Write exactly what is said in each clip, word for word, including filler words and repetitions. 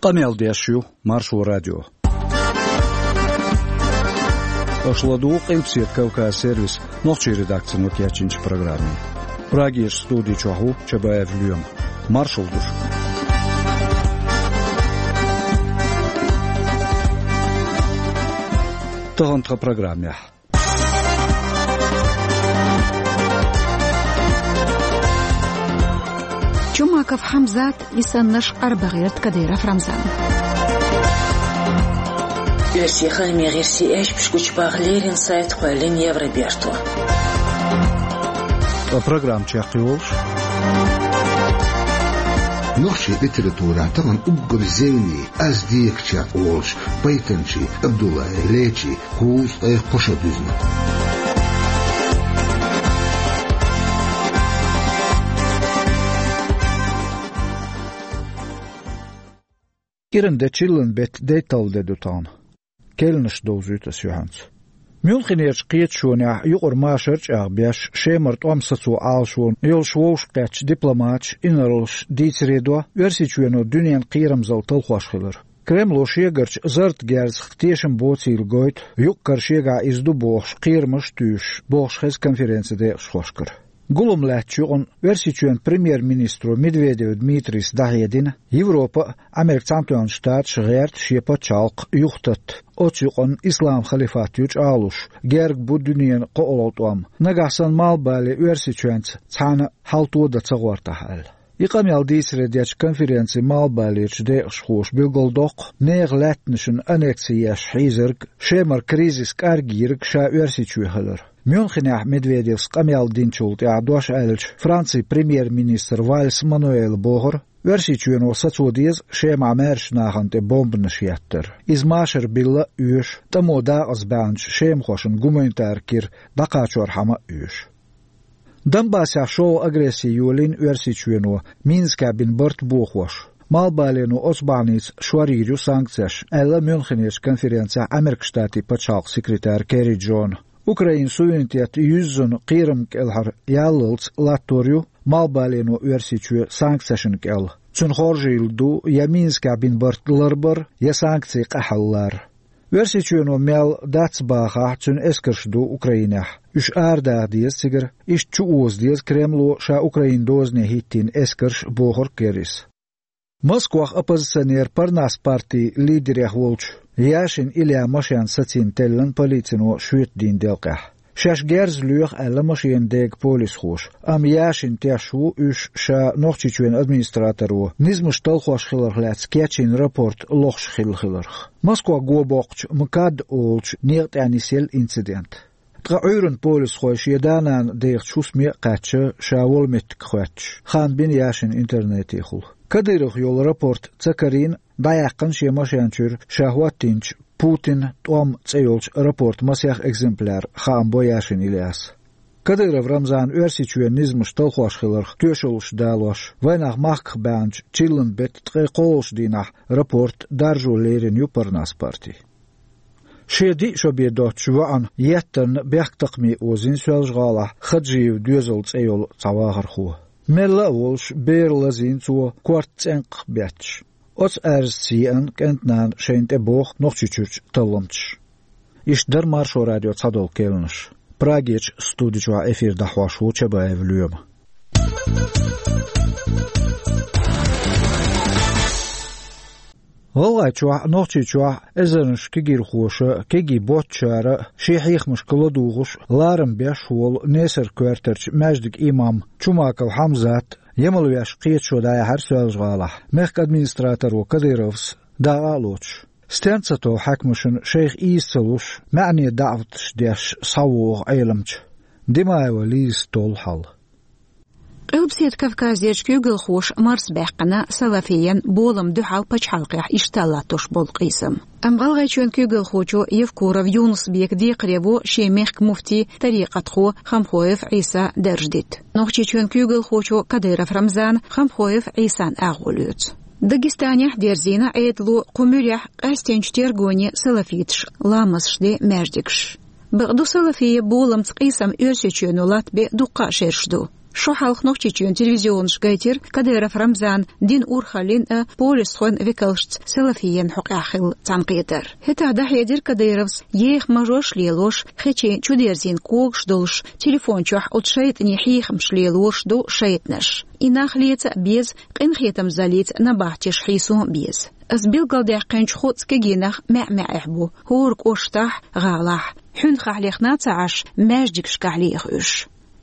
Къамел деш ю Маршо радио. Аша ладугӀу Къилбаседа Кавказ сервисан нохчийн редакцино кечйинчу программе. Прагерчу студи чохь ву Чабаев Лоьма. Маршалла ду шуьга. Тахана тхан программехь. Чумаков Хьамзат, и саннарш Къарбагъерта Кадыров Рамзан. Оьрсийхойн мегӀерсий аьшпаш гучубаха леррина сайт кхоьллина Евроберто. Ткъа программа чекхйолуш. Нохчийн литературехь тахана уггар зевне, аз дехачех олуш, Пайтанчий Абдуллай Лечий кхузткъе кхо шо дуьзна. Киран де чиллан беттан дейтталгӀа де ду тахана. Керланаш довзуьйту ас юьхьанца. Мюнхенерчу кхеташонехь юкъара машар а чӀагӀбеш, Шемара тӀом сацо Ӏалашонна йолуш вовшахкхеттачу дипломаташа, инарлаша дийцаре до Оьрсийчоьно дуьненан кхерамзалла талхош хилар. Кремло шегарчу зарратан герзах тешам боцийла гойту, юккъера шегахь иза ду бохуш, кхерамаш а туьйсуш, бохуш хеза конференцин декъашхошкара. Гулам лаьттачу юкъана Оьрсийчоьнан премьер-министро Медведев Дмитрийс дӀахьедина, Европа а, Американ Цхьаьнатоьхна Штаташ а гӀерта шен пачхьалкх юхататта. Оцу юкъана ислам халифат ю чӀагӀлуш, герга бу дуьненан кхоалгӀа тӀом. Нагахь санна Малхбале Оьрсийчоьнца цхьаьна хьал тодан ца гӀортахь аьлла. И къамел дийцаре дечу конференцин Малхбалерчу декъашхоша билгалдоккху нехан лаьттанашна аннекси еш хьийзарг, Шемара кризис кӀаргйийриг ша Оьрсийчоь хилар. Мюнхенехь Медведевс къамел динчул тӀаьхьа дош аьллачу Францин премьер-министра Вальс Мануэла бохура, Оьрсийчоьно сацо деза Шемахь маьршачу нахана тӀе бомбанаш еттар. Иза машар билла а оьшу, тӀамо дакъазбаьхначу шемахошна гуманитар кира дӀакхачорхьама а оьшу. Донбассехь шолгӀа агресси йолийна Оьрсийчоьно, Минскехь бина барт бохош. Малхбалено оцу бахьаница шорйийр ю санкцеш, аьлла Мюнхенерчу конференцехь Американ Штатийн пачхьалкхан секретара Керри Джона. Украинан суверенитет юьззина кхерамна кӀелхьара яллалц латтор ю Малхбалено Оьрсийчоь санкцешна кӀел. Цуьнан хоржийла ду я Минскехь бина барт ларбар, я санкцийн къахьаллар. Оьрсийчоьно мел дац бахахь, цуьнан эскарш ду Украинехь. Уьш арадаха деза цигара, иштта чу оза деза Кремло ша Украинан дозане хӀиттийна эскарш, бохура Керрис. Москвахь оппозиционер Парнас партин лидерех волчу Яшин Ильян машен сацийна теллина полицино шоьтан дийнан делкъехь. Шаьш герз лоьху аьлла машенан дега полисхоша, амма Яшин теш ву уьш ша Нохчийчоьнан администраторо низамаш талхош хиларх лаьцна кечйина рапорт лохуш хилла хиларх. Москва го боккхучу МКАД олучу некъа тӀехь нисъелла инцидент. Ткъа Ӏуьйранна полисхой шен да-нана дехачу хӀусаме а кхаьчна, ша волу меттиг хоьттуш, хаам бина Яшина интернетехула. Кадыровх йолу рапорт ца карийна, дӀаяьккхина шен машен чуьра ша хӀоттийначу «Путинан тӀом» цӀе йолчу рапортан масех экземпляр, хаам бо Яшин Ильяса. Кадыров Рамзана Оьрсийчоьнан низамаш талхош хиларх тоьшаллаш далош, вайнах махках баьхначу чиллан беттан ткъе кхоалгӀачу дийнахь рапорт даржо лерина ю Парнас парти. Шен диъ шо бен доцучу воӀана еттанна бехктакхаме озийна Соьлжа-ГӀалахь Хаджиев доьзал цӀе йолу цхьа вахархо. Мелла а волуш, бер лазийна цо, корта цӀенкхах бетташ. Оцу аьрзаца еана кӀентан нана шайна тӀе боху Нохчийчуьрчу талламчаша. Иштта дара Маршо радион цхьадолу керланаш. Прагерчу студи чохь эфир дӀахьош ву Чабаев Лоьма. ГӀалгӀайчохь а, Нохчийчохь а эзарнаш кегирхоша а, кегий боццушара а шен хьехамашка ладугӀуш, ларам беш волу Несар-коьртарчу маьждиган имам Чумаков Хьамзат а емалвеш кхеташо дӀаяьхьира Соьлжа-ГӀалахь, мехкан администраторо Кадыровс дакъа а лоцуш. Стенна ца тов хьаькамашна шайх ийса ца луш, маьӀне даӀваташ деш схьавогӀу Ӏеламча. Димаева Лизас толлу хьал. Къилбаседа Кавказерчу куьйгалхоша марсабаьккхина салафиен болам дуьхьал пачхьалкхехь иштта латтош болу къийсам. Амма ГӀалгӀайчоьнан куьйгалхочо Евкуров Юнус-Бека декхаре во шен мехкан муфти, тарикъатхо Хамхоев Ӏийса дарж дита. Нохчийчоьнан куьйгалхочо Кадыров Рамзана Хамхоев Ӏийсан агӀо лоьцу. Дагестанехь а дерзийна Ӏедало кху муьрехь къаьстинчу тергоне салафиташа ламазаш де маьждигаш. Бакъду, салафия боламца къийсам Оьрсийчоьно латтабе дуккха а шераш ду. Шо хьалха Нохчийчоьнан телевизионаш гайтира Кадыров Рамзана динан урхаллин а, полисхойн векалшца салафийна хьокъехь хилла цхьаьнакхетар. ХӀетахь дӀахьедира Кадыровс еха мажош лелош, хечийн чудерзийна когаш долуш, телефон чохь оцу шайтӀанийн хьехамаш лелораш ду шайтӀанаш. И нах леца а беза, къинхетамзаллица набахтеш хьийсо а беза. Ас билгалдаьккхинчу кхузткъа кегийнах маьӀ-маьӀехь бу, хӀора кӀоштахь, гӀалахь. Хьуьнхахь лехна а ца Ӏаш, маьждигашкахь леха уьш.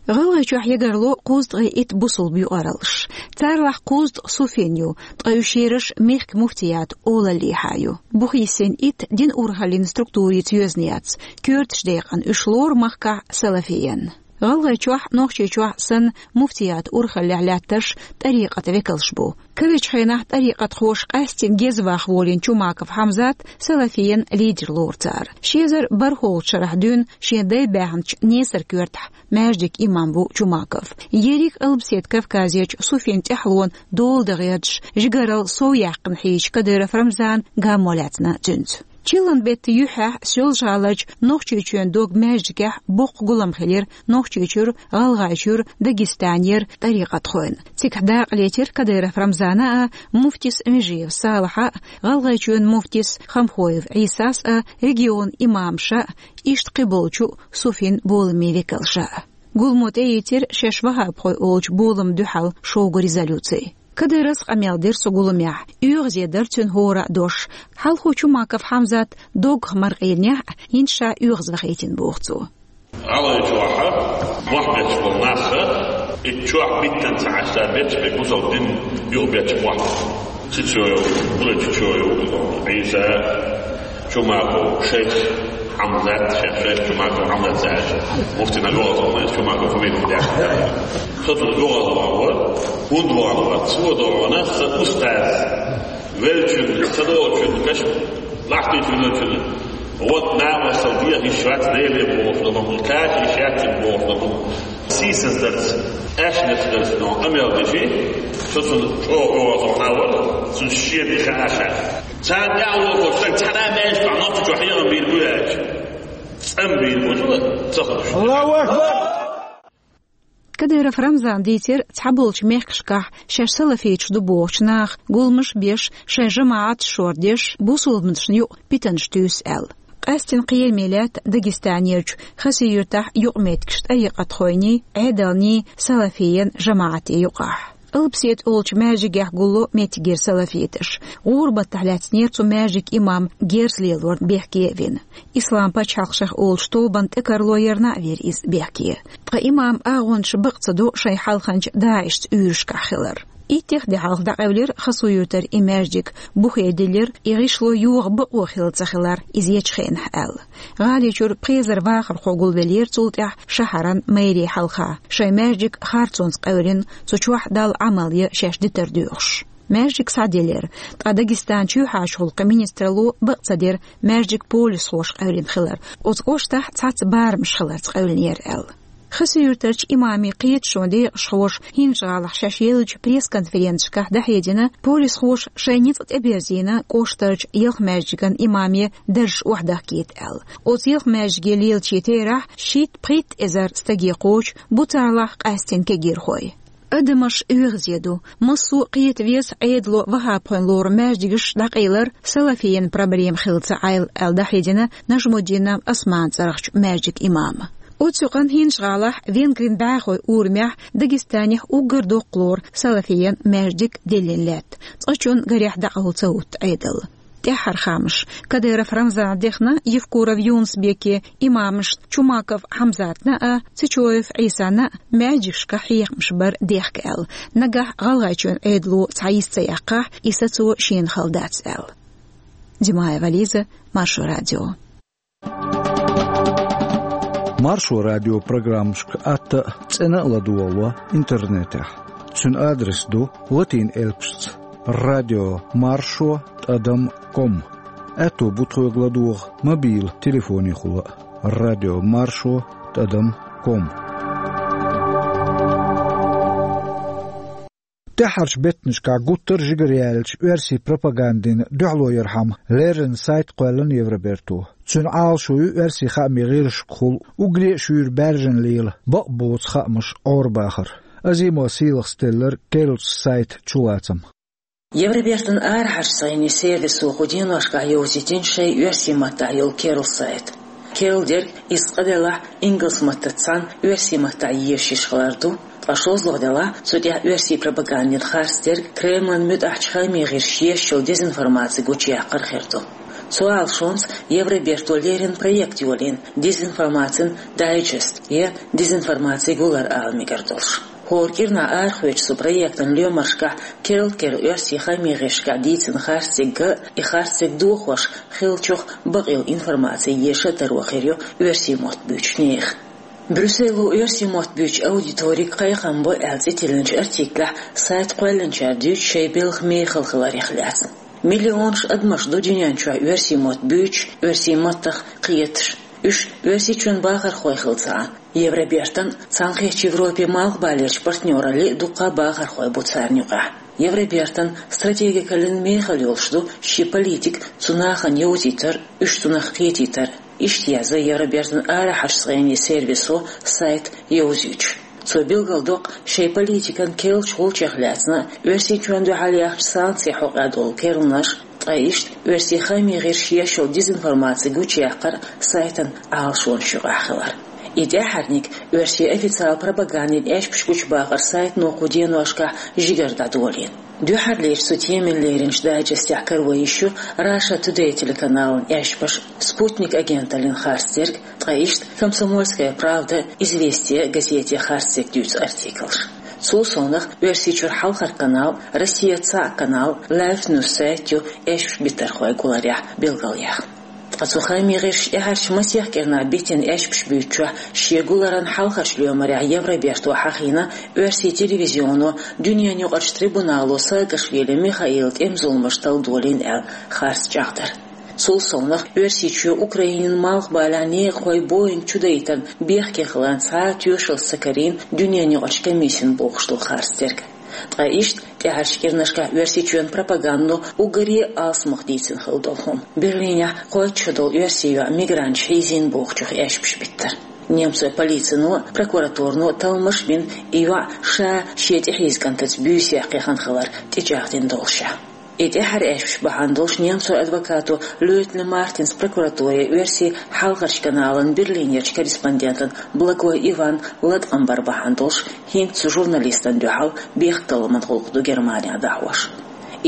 ГӀалгӀайчохь ягарло кхузткъе итт бусулба юкъараллаш. Царлахь кхузткъа суфин ю, ткъа уьш ераш мехкан муфтиятан олаллехьа ю. Бухийсина итт динан урхаллин структурица йоьзна яц, коьртачу декъана уьш лору махкахь салафийна. ГӀалгӀайчохь, Нохчийчохь санна муфтиятан урхаллехь лаьтташ тӀарикъатан векалш бу. Кхечу хенахь тӀарикъатхоша къаьстина геза ваха волийна Чумаков Хьамзат салафийна лидер лору цара. Ши эзар бархӀолгӀачу шарахь дуьйна шен дай баьхначу Несар-Коьртахь маьждиган имам ву Чумаков. Ерриг а Алпсет Кавказерчу суфин тӀаьхьалонан дола дан гӀерташ, жигаралла сов яьккхина хьийзачу Кадыров Рамзана гаммо лаьцна цуьнца. Чиллан беттан юьххьехь Соьлжа-ГӀаларчу Нохчийчоьнан дог-маьждигехь боккха гулам хилира Нохчийчуьра, ГӀалгӀайчуьра, Дагестанера тӀарикъатхойн. Цигахь дакъа летира Кадыров Рамзана а, муфтис Межиев Салахьа а, ГӀалгӀайчоьнан муфтис Хамхоев Ӏийсас а, регионан имамаша а, иштта кхиболчу суфин боламийн векалша а. Гуламо тӀеийцира шаьш ваххабхой олучу боламна дуьхьал шога резолюци. Кадыровс къамел дира цу гуламехь, оьгӀазе дара цуьнан хӀора а дош. Хьалхо Чумаков Хьамзат доггах мара къийнехь а, хӀинца ша оьгӀазвахийтина, боху цо. ГӀалгӀайчохь мохь бетташ болу нах, и чохь биттина ца Ӏаш, ца бетташ, бен бусалба дин юкъабетташ мохь. Цицоев, Булачичоев, Ӏийса, Чумаков, шайх Хьамзат, шайх, шайх Чумаков Хьамзат, цаьрша муфтина лоцу, Чумаков фамилия даьхна. Со цунна юхавала вахана вара, хӀунда вахана вара, цо догӀу вахана, сан устаз, веллачун, ца догӀучун, каш лахкийчун веллачун, вот намасал дехийташ вац, Деле бохуш дан бу, кхача йиш яц цуьнан бохуш дан бу. Сийсаздарца, аьшнашдарца но къамел дичи, со цунна чӀогӀа оьгӀазвахана вара, цуьнан шен де хаа ша. Царна тӀаьхьа вохуш стаг цхьана а маьждигехь Нохчийчохь хьехам бийр бу аьлча, цӀан бийр бу ца хуьлуш. Аллаху акбар! Кадыров Рамзана дийцира цхьаболчу мехкашкахь шаьш салафиташ ду бохучу наха гуламаш а беш, шайн жамаӀаташ шордеш, бусулбанашна юкъа питанаш туьйсу аьлла. Къаьстина кхераме лаьтта Дагестанерчу Хасавюртахь юкъаметтигаш тӀарикъатхойний, Ӏедалний, салафийна жамаӀатий юкъахь. Алпсет олучу маьждигехь гулло меттигера салафиташ. ГӀурбатахь лаьцнера цу маьждиган имам герз лелорна бехке а вина. Ислам пачхьалкх шайх олучу тобанна тӀекарло ярна а вира иза бехке. Ткъа имаман агӀончаш бакъ ца до шайн хьалханчу ДАИШца уьйрашкахь хилар. Иттех де хьалха дӀакъевлира Хасавюртара и маьждиг, бухе диллира, и гӀишло йоха бакъо хилла ца хилар иза ечу хенахь аьлла. ГӀаличуьра пхи эзар вахархо гулвеллера цул тӀаьхьа шахьаран мэрин хьалха, шайн маьждиг харцонца къевлина, цу чохь Далла Ӏамал ян шаьш дитар доьхуш. Маьждиг схьаделира, ткъа Дагестан чоьхьарчу гӀуллакхийн министралло бакъ ца дира маьждиг полисхоша къевлина хилар, оцу кӀоштахь цхьацца барамаш хиларца къевлинера аьлла. Хасавюртарчу имамийн кхеташонан декъашхоша ХӀинжа-ГӀалахь шаьш еллачу пресс-конференцешкахь дӀахьедина, полисхоша шайн ницкъ тӀеберзийна кӀоштарчу ялх маьждиган имаме даржаш охьадахкийта аьлла. Оцу ялх маьждиге лелачийн терахь шийтта-пхийтта эзар стаге кхочу, бу царлахь къаьстина кегийрхой. Адамаш оьгӀазе ду. Массо а кхета веза Ӏедало ваххабхойн лору маьждигаш дӀакъайлар салафийна проблема хилла ца Ӏайла аьлла дӀахьедина Нажмуддинов Османан цӀарахчу маьждиган имама. Оцу юкъанна ХӀинжа-ГӀалахь венгрийн бӀаьхойн урамехь Дагестанехь уггар доккха лору салафийна маьждиг диллина лаьтта, цкъачунна гарехь дӀакъовла ца хӀутту Ӏедал. ТӀаьххьара хаамаш. Кадыров Рамзана дехна Евкуров Юнус-Беке имамашна Чумаков Хьамзатна а, Цечоев Ӏийсана а маьждигашкахь хьехамаш бар дехка аьлла. Нагахь ГӀалгӀайчоьнан Ӏедало цхьа йист ца яьккхахь, и сацо шена хала дац аьлла. Димаева Лиза, Маршо радио. Маршо радион программашка атта а, цӀена а ладогӀало интернетехь. Цуьнан адрес ду латин элпашца: радио маршо тӀадам ком. Аьтто бу тхоьга ладогӀа мобил телефонехула а: радио маршо тӀадам ком. ТӀаьххьарчу беттанашкахь гуттар а жигара яьллачу оьрсийн пропагандина дуьхьало ярхьама леррина сайт кхоьллина Евроберто. Цуьнан Ӏалашо ю оьрсийн хаамийн гӀирсашкахула уггаре а шуьйра баьржина лела, бакъ боцу хаамаш Ӏорабахар. Азимова Сийлаха стеллар керлачу сайта чулацам. Евробертан арахьарчу сайни сервисо кху деношкахь йовзийтина шайн оьрсийн маттахь йолу керла сайт. Керла дерг, иза цкъа делахь, ингалс маттаца цхьаьна оьрсийн маттахь езаш хилар ду, ткъа шозлагӀа делахь, цу тӀехь оьрсийн пропагандин харц дерг, Кремлан муьтӀахьчу хаамийн гӀирсаша езаш йолу дезинформаци гучуяккхар хир ду. Цу Ӏалашонца Евроберто леррина проект йолийна, дезинформацин дайджест я дезинформацин гулар ала мегар долуш. ХӀора кӀирнахь арахоьцучу цу проектан лоьмаршкахь керла-керла оьрсийн хаамийн гӀирсашкахь дийцина харц дерг а, и харц дерг дохош хиллачух бакъйолу информаци еша а таро хир ю оьрсийн мотт буьйцучу нехан. Брюссело оьрсийн мотт буьйцучу аудиторига кхайкхам бо аьлла цӀе тиллинчу артиклехь сайт кхоьллинчара дуьйцу шайн белхан мехала хиларех лаьцна. Миллионаш адамаш ду дуьнен чохь оьрсийн мотт буьйцуш, оьрсийн маттах кхеташ. Уьш Оьрсийчоьнан бахархой хилла ца Ӏа, Евробертан, Цхьаьнакхеттачу Европин малхбалерчу партнераллин дуккха а бахархой бу царна юкъахь. Евробертан стратегикаллин мехала йолуш ду шен политика цу нахана йовзийтар, уьш цунах кхетийтар, иштта яза Евробертан арахьарчу сайни сервисо сайт йовзуьйтуш. Цо билгалдоккху шайн политикан керлачу гӀулчех лаьцна а, Оьрсийчоьнна дуьхьал яьхначу санкцийн хьокъехь долу керланаш, ткъа иштта оьрсийн хаамийн гӀирсаша езаш йолу дезинформаци гучуяккхар сайтан Ӏалашонаш юкъахь хилар. И тӀаьххьарниг оьрсийн официалан пропагандин аьшпаш гучубахар сайтано кху деношкахь жигара дӀадолийна. Дуьххьарлерчу цу темина леринчу дайджестехь каро йиш ю Russia Today телеканалан аьшпаш, Спутник агенталлин харц дерг, ткъа иштта Комсомольская правда, Известия газетийн харц дерг дуьйцу артиклаш. Цул совнаха Оьрсийчуьра хьалхара канал, Россия цхьаъ канал, Life News сайт ю аьшпаш биттархойн гуларехь билгалъяьхна. Ткъа цу хаамийн гӀирсаша тӀаьххьарчу масех кӀирнахь биттина аьшпаш буьйцучохь шен гуларан хьалхарчу лоьмарехь Евроберто хьахийна оьрсийн телевизионо дуьненаюкъарчу трибунало Саакашвили Михаилан тӀеман зуламаш талла долийна аьлла харц чӀагӀдар. Цул совнаха Оьрсийчоь Украинин малхбалехь некъахойн Боинг чудайтарна бехке хиларна цхьа а тоьшаллаш ца карийна дуьненаюкъарчу комиссина бохуш долу харц дерг. Ткъа иштта тӀаьхьарчу кӀирнашкахь Оьрсийчоьнан пропагандо уггаре а алсамох дийцина хилла долу хӀума. Берлинехь кхойтта шо долу оьрсийн йоӀ мигранташа хьийзийна бохучух аьшпаш биттар. Немцойн полицино а, прокуратуро а талламаш а бина, и йоӀ ша шен тӀехьийза кӀантаца буьйсехь кхехкина хилар тӀечӀагӀдина доллушехь. И тӀаьххьара аьшпаш бахьана долуш немцойн адвокато Лётле Мартинс прокуратуре оьрсийн хьалхарчу каналан Берлинерчу корреспондентана Благой Ивана латкъам бар бахьана долуш хӀинца цу журналистана дуьхьал бехкталламан гӀуллакх ду Германехь дӀахьош.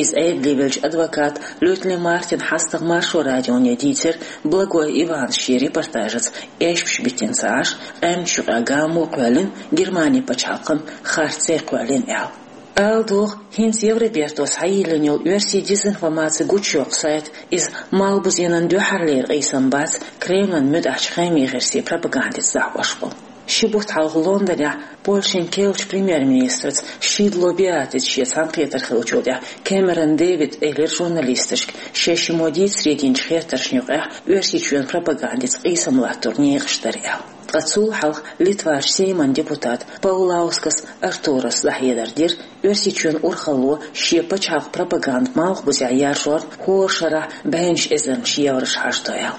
Иза Ӏедале веллачу адвоката Лётле Мартина хьастагӀа Маршо радионе дийцира Благой Ивана шен репортажаца аьшпаш биттина ца Ӏаш, къаьмнаш юкъахь гамо а кхоьллина, Германин пачхьалкхана харцо а кхоьллина аьлла. Ала догӀу, хӀинца Евробертос хьайиллина йолу оьрсийн дезинформаци гучуйоккху сайт, иза малхбузенан дуьххьарлера къийсам бац Кремлан муьтӀахьчу хаамийн гӀирсийн пропагандица дӀахьош болу. Ши бутт хьалха Лондонехь Польшин керлачу премьер-министраца Шидло Беатриса шен цхьаьнакхетар хиллачул тӀаьхьа Кэмерон Дэвида элира журналисташка, шаьш шиммо дийцаре динчу хеттаршна юкъахь Оьрсийчоьнан пропагандица къийсам латтор некъаш дара аьлла. Ткъа цул хьалха Литварчу Сейман депутата Паулаускас Артурас дӀахьедар дира, Оьрсийчоьнан урхалло шен пачхьалкхан пропаганда малхбузехь яржорна хӀора шарахь бӀеннаш эзарнаш евраш хьажадо аьлла.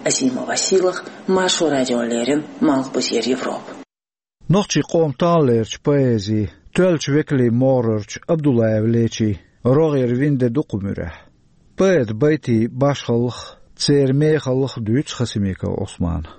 Азимова Сийлаха, Маршо радиона леррина, Малхбузера Европа. Нохчийн къоман тахналерчу поэзин тоьллачу векалийн могӀарерчу Абдуллаев Лечин рогӀера вина де ду кху муьрехь. Поэтан байтийн башхаллах, церан мехаллах дуьйцу Хасимиков Ӏусмана.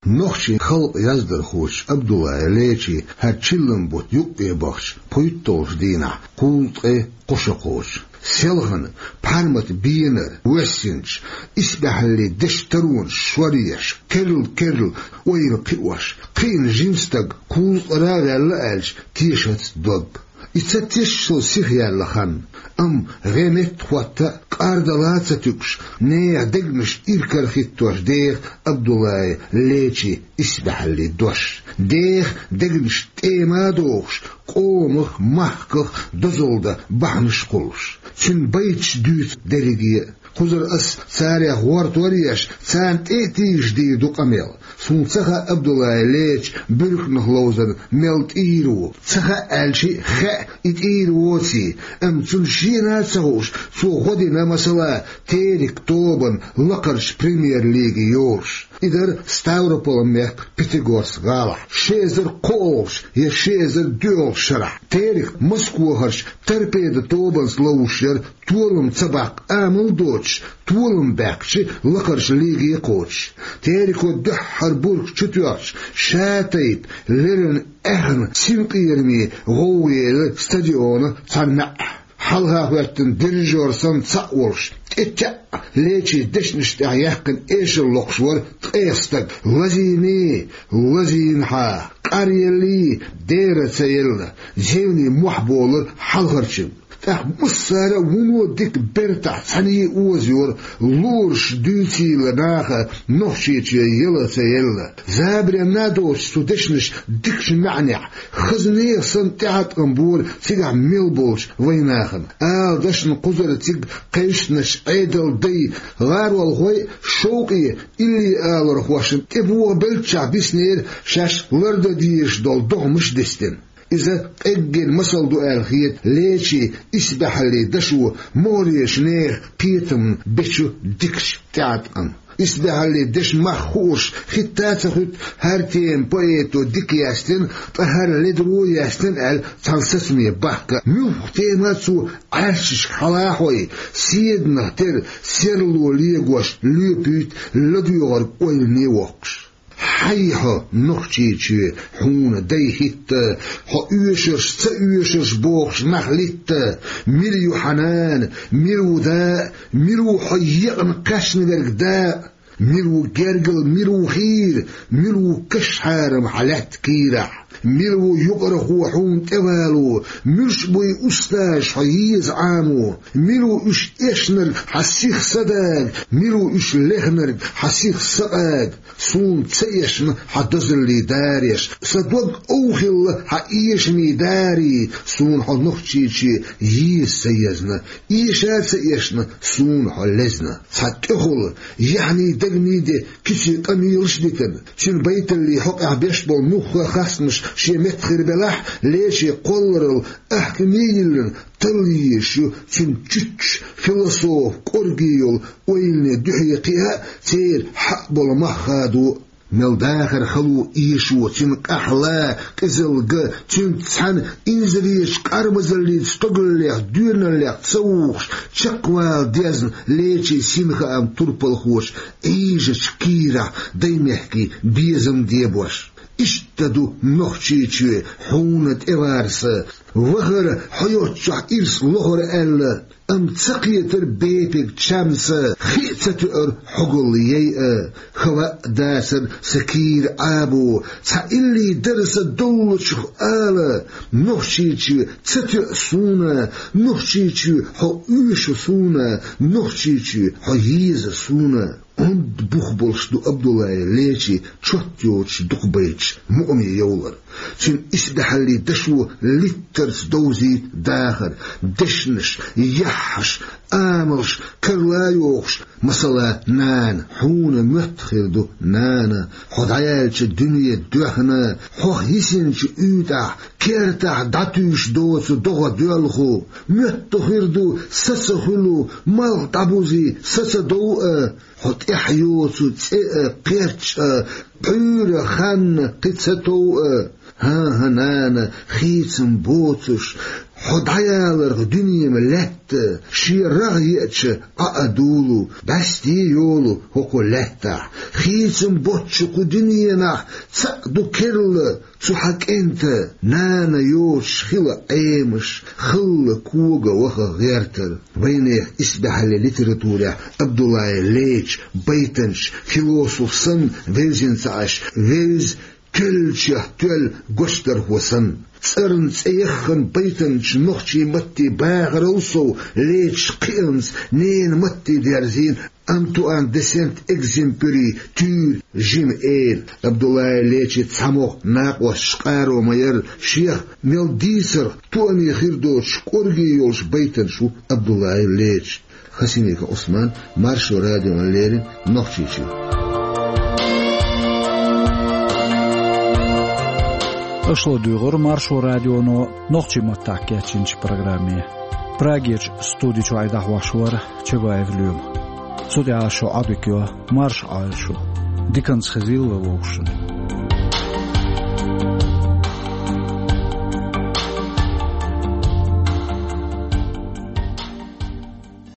Нохчийн халкъан яздархочо Абдуллаев Лечин хӀара чиллан бутт юккъе бахча пхийтталгӀачу дийнахь кхузткъе кхо шо кхочу. Селхана, пхьармата бенара воьссинчу, исбаьхьаллин дешан таронаш шоръеш, керла-керла ойла кхиош, кхиъна жима стаг кхузткъара а ваьлла аьлча, тешац дог. И ца тешаш сиха яьлла хан, амма гӀе метта хӀотта а, кӀардала а ца туьгуш, нехан дегнаш иракарахӀиттош деха Абдуллаев Лечин исбаьхьаллин дош. Деха дегнаш тӀема а дохуш, къомах, махках дозалла дан бахьанаш кхуллуш. Цуьнан байташ дуьйцу дерриге а. Кхузара ас царех гӀортор а еш, царна тӀе а тийжаш дийр ду къамел. Суна ца хаьа Абдуллаев Леча буьрканах ловзар мел тӀийр ву. Ца хаьа аьлча а хаьа, и тӀийр воций, амма цунна шена а ца хууш, Цо гӀо дина, масала, «Терек» тобанна лакхарча премьер-лиге йолуш. И дара Ставрополан мехка Пятигорск гӀалахь, ши эзар кхоалгӀачу я ши эзар доьалгӀачу шарахь. «Терек» Москвахарчу «Торпедо» тобанца ловзуш яра, толам ца баккха амал а доцуш, толам баьккхича, лакхарчу лиге а кхочуш. «Тереко» дуьххьара бург чу тоьхча, шатайпа леррина аьхна синкъераме гӀовгӀа елира стадиона цхьана маьӀӀехь. Хьалха хӀоьттина дирижёр санна цхьаъ волуш, тӀетаьӀӀа Лечин дешнаш тӀехь яьккхина эшар локхуш вара ткъех стаг. Лазийний, лазийна хьан, къаръеллий, дера ца елла, зевний мохь болура хьалхарчун. ТӀаккха массара а вуно дика бертахь цхьаьний озайора, лораш дуьйцийла наха Нохчийчоь яла ца елла. Забаренна а доцуш цу дешнаш дикачу маьӀнехь, хаза нехан санна тӀеӀаткъам бора цигахь мел болчу вайнахана. Ала дашна кхузара цига кхайшначу Ӏедалан дай, гӀаролхой а, шовкъе илли алархошна тӀебогӀабеллачохь биснера шаьш лардан дезаш долу догӀмаш дистина. Иза къеггина масал ду аьлла хета Лечин исбаьхьаллин дашо могӀарерчу нехан кхетамна бечу дикачу тӀеӀаткъамна. Исбаьхьаллин дешан мах хууш хӀитта а ца хуьтту хӀара тема поэто дика яьстина, ткъа хӀара ледара яьстина аьлла цхьана сацаме бахка. Муьлхха тема цо Ӏаьршачу хьалахой, седанах тера серло легош лоьпуьйту ладоьгӀург ойлане воккхуш. Хьай хьо, Нохчийчоь, хьуна дай хӀитта, хьо оьшурш, ца оьшурш бохуш нах литта, мила ю хьан нана, мила ву да, мила ву хьо екъна кхаьчна верг да, мила ву гергал, мила ву хийра, мила ву каш-хьарам хьан лаьтта кийрахь, мила ву юкъархо хьуна тӀевало, муьлш буй устазаш хьо еза Ӏамо, мила ву уьш эшнарг хьан сиха са дага, мила ву уьш лехнарг хьан сиха са къага. Суна ца эшна хьан дозаллин дареш, сан дог овхилла хьан эшамийн дарий, суна хьо, Нохчийчоь, еза ца езна, эша а ца эшна, суна хьо лезна. Цхьа тӀехула, яхьний дагний де куьцийн къамелаш дитина, цуьнан байталлин хьокъехь беш болу муьлхха а хастамаш шен меттахь хир белахь, Лечин кхолларалла аьхкаме а йиллина, талла езаш ю цуьнан чуьччуш, философ, кӀорге йолу ойлане дуьхье кхиа а, церан хьаъ болу мах хадо а. Мел дахар хало эшо, цуьнан къахьла, къизалла, цуьнца цхьаьна инзаречу къармазаллица стогаллех, доьналлех ца вухуш, чекхвала дезна Лечин синхаам турпалхочу Ӏийжачу кийрахь даймехкийн безам дебош. Иштта ду, Нохчийчоь, хьуна тӀеварса, вахара хьо йоцчохь ирс лохура аьлла, амма ца кхетара бепиг чамса, хи а ца тоьара хьогалла яйа, хӀаваъ дацара сан кийра Ӏабо, цхьа илли дара сан доллучух ала, Нохчийчоь, ца тоьа суна, Нохчийчоь, хьо оьшу суна, Нохчийчоь, хьо еза суна. Онда бух болуш ду Абдуллаев Лечин чот йоцуш дукхабайташ мукъаме йовлар. Цуьнан исбаьхьаллин дашо литтарца довзийта дахар, дешнаш, яххьаш, амалш карла а йохуш, масала, нана, хьуна моьтту хир ду, нана, хьо дӀаяьллачу дуьне доьхна, хьох йисинчу уьйтӀахь, кертахь дӀатуьйсуш доцу догӀа доьлху, моьтту хир ду, са ца хуьлу, малх дӀабузий, са ца дов а, хьо тӀаьхьа йоцу цӀе а, кхерч а, пхьуьйра ханна кхин ца тов а. ХӀан-хӀа, нана, хийцам боцуш, хьо дӀаяларх дуьненан лаьтта, шен рагӀ еача, Ӏа а дуьллу, бӀаьсте йолу хӀокху лаьттахь. Хийцам боцчу кху дуьненахь цхьаъ ду керла, цу хьан кӀентан, нана йоцуш хила Ӏемаш, халла кога ваха гӀертар. Вайнехан исбаьхьаллин литературехь Абдуллаев Леча байтанчаш философ санна вевзина ца Ӏаш, вевза, кхоьллинчех тоьлла гочдархо санна. ЦӀарна цӀе яххана байтанчаш нохчийн маттийн бахарал сов Леча кхиамца ненан матте дерзийна Антуан де Сент-Экзюпери туьйра жима эла. Абдуллаев Лечин цхьамогӀа накъосташ къаро ма яра, шех мел дийцарх тоъане хир доцуш кӀорге йолуш байтанчаш ву Абдуллаев Леча. Хасимиков Ӏусман, Маршо радиона леррина, Нохчийчуьра. Аша ладуьйгӀира Маршо радионо нохчийн маттахь кечйинчу программе. Прагерчу студи чуьра дӀахьош вара Чабаев Лоьма. Цу тӀехь ас шух Ӏодика йо, марша Ӏойла шу. Диканца хезийла вай вовшашна.